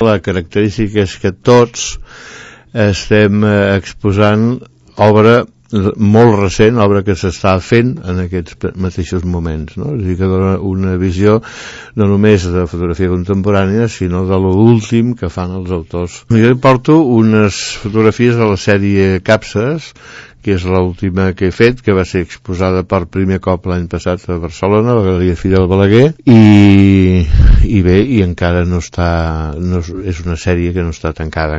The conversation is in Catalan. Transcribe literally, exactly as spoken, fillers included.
La característica és que tots estem exposant obra molt recent, obra que s'està fent en aquests mateixos moments, no? És a dir, que dona una visió no només de fotografia contemporània, sinó de l'últim que fan els autors. Jo porto unes fotografies de la sèrie Capses, que és l'última que he fet, que va ser exposada per primer cop l'any passat a Barcelona, a la Galeria Fidel Balaguer, i, i bé, i encara no està, no és, és una sèrie que no està tancada.